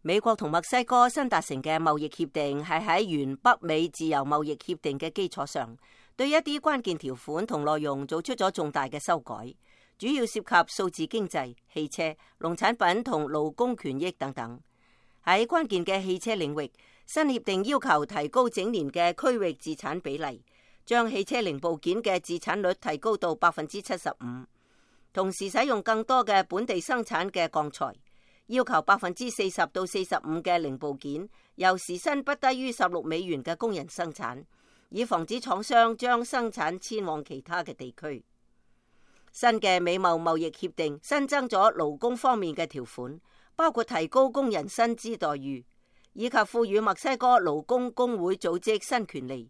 美國同墨西哥新達成嘅貿易協定係喺原北美自由貿易協定嘅基礎上，對一啲關鍵條款同內容做出咗重大嘅修改，主要涉及數字經濟、汽車、農產品同勞工權益等等。喺關鍵嘅汽車領域，新協定要求提高整年嘅區域自產比例，將汽車零部件嘅自產率提高到75%，同時使用更多嘅本地生產嘅鋼材，要求40%到45%嘅零部件由時薪不低於$16嘅工人生產，以防止廠商將生產遷往其他嘅地區。新嘅美貿貿易協定新增咗勞工方面嘅條款，包括提高工人薪資待遇，以及賦予墨西哥勞工工會組織新權利。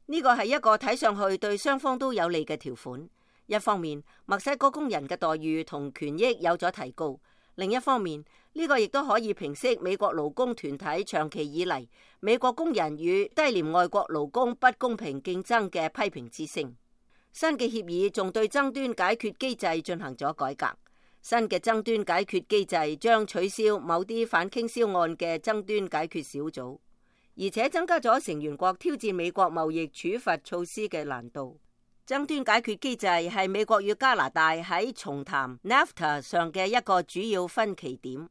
呢個係一個睇上去對雙方都有利嘅條款。一方面，墨西哥工人嘅待遇同權益有咗提高；另一方面，呢個亦都可以平息美國勞工團體長期以嚟美國工人與低廉外國勞工不公平競爭嘅批評之聲。新嘅協議仲對爭端解決機制進行咗改革。新嘅爭端解決機制將取消某啲反傾銷案嘅爭端解決小組，而且增加咗成員國挑戰美國貿易處罰措施嘅難度。爭端解決機制係美國與加拿大喺重談 NAFTA 上嘅一個主要分歧點。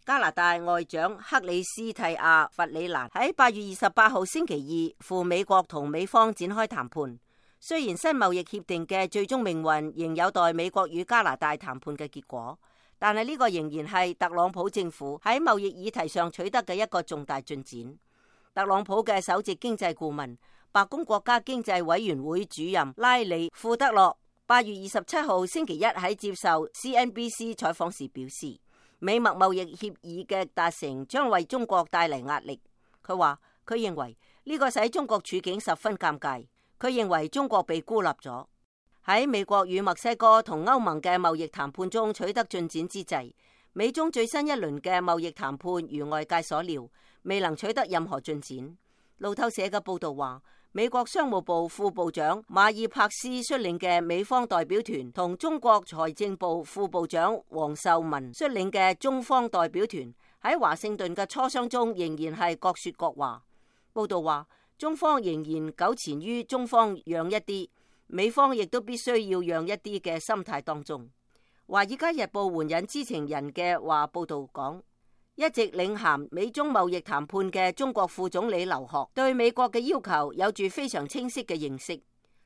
加拿大外長克里斯蒂亞·弗里蘭喺8月28號星期二赴美國同美方展開談判。雖然新貿易協定嘅最終命運仍有待美國與加拿大談判嘅結果，但係呢個仍然係特朗普政府喺貿易議題上取得嘅一個重大進展。特朗普嘅首席經濟顧問、白宮國家經濟委員會主任拉里·庫德洛8月27號星期一喺接受 CNBC 採訪時表示，美墨貿易協議嘅達成將為中國帶嚟壓力。佢話佢認為呢個使中國處境十分尷尬。佢認為中國被孤立咗。喺美國與墨西哥同歐盟嘅貿易談判中取得進展之際，美中最新一輪嘅貿易談判如外界所料，未能取得任何進展。路透社嘅報道話，美國商務部副部長馬爾帕斯率領嘅美方代表團同中國財政部副部長王受文率領嘅中方代表團喺華盛頓嘅磋商中仍然係各說各話。報道話，中方仍然糾纏於中方讓一啲，美方亦都必須要讓一啲嘅心態當中。華爾街日報援引知情人嘅話報道講，一直領銜美中貿易談判嘅中國副總理劉鶴對美國嘅要求有住非常清晰嘅認識。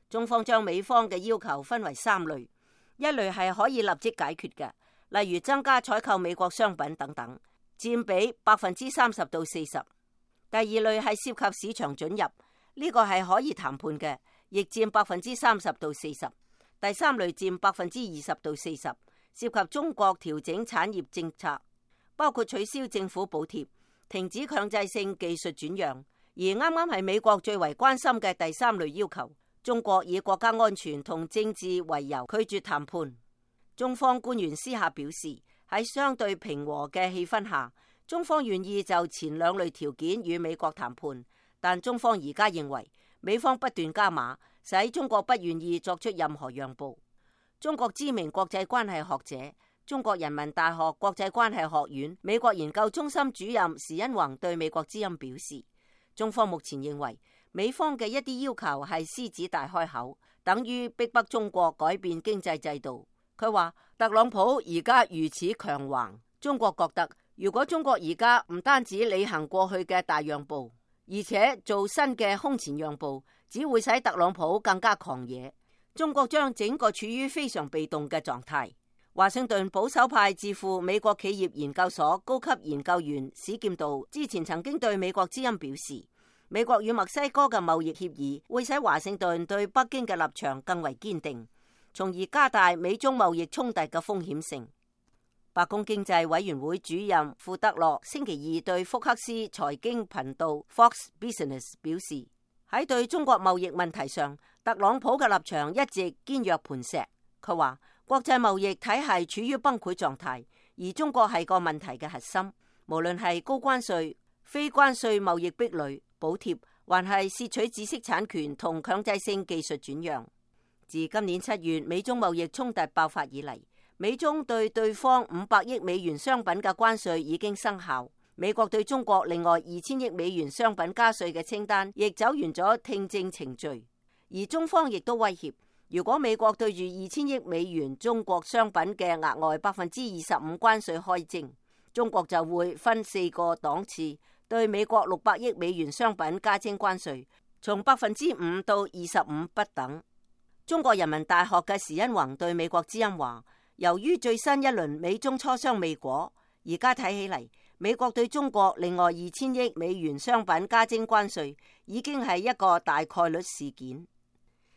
中方將美方嘅要求分為3類，一類係可以立即解決嘅，例如增加採購美國商品等等，佔比30%到40%。第二類係涉及市場准入，呢個係可以談判嘅，亦佔30%到40%。第三類佔20%到40%，涉及中國調整產業政策，包括取消政府補貼、停止強制性技術轉讓。而啱啱係美國最為關心嘅第三類要求，中國以國家安全同政治為由拒絕談判。中方官員私下表示，喺相對平和嘅氣氛下，中方願意就前2類條件與美國談判，但中方而家認為美方不斷加碼，使中國不願意作出任何讓步。中國知名國際關係學者、中國人民大學國際關係學院美國研究中心主任時殷弘對美國之音表示，中方目前認為美方嘅一啲要求係獅子大開口，等於逼迫中國改變經濟制度。佢話特朗普而家如此強橫，中國覺得如果中國而家唔單止履行過去嘅大讓步，而且做新嘅空前讓步，只會使特朗普更加狂野。中國將整個處於非常被動嘅狀態。華盛頓保守派智庫美國企業研究所高級研究員史劍道之前曾經對美國之音表示，美國與墨西哥嘅貿易協議會使華盛頓對北京嘅立場更為堅定，從而加大美中貿易衝突嘅風險性。白宮經濟委員會主任庫德洛星期二對福克斯財經頻道 Fox Business 表示，喺對中國貿易問題上，特朗普嘅立場一直堅若磐石。佢話國際貿易體系處於崩潰狀態，而中國係個問題嘅核心。無論係高關稅、非關稅貿易壁壘、補貼，還係竊取知識產權同強制性技術轉讓。自今年7月美中貿易衝突爆發以嚟，美中對對方500億美元商品嘅關稅已經生效。美國對中國另外2000億美元商品加稅嘅清單亦走完咗聽證程序，而中方亦都威脅，如果美國對住2000億美元中國商品嘅額外25%關稅開徵，中國就會分4個檔次對美國600億美元商品加徵關稅，從5%到25%不等。中國人民大學嘅時殷弘對美國之音話，由於最新一輪美中磋商未果，而家睇起嚟，美國對中國另外2000億美元商品加徵關稅已經係一個大概率事件。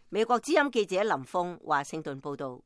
美國之音記者林峰華盛頓報道。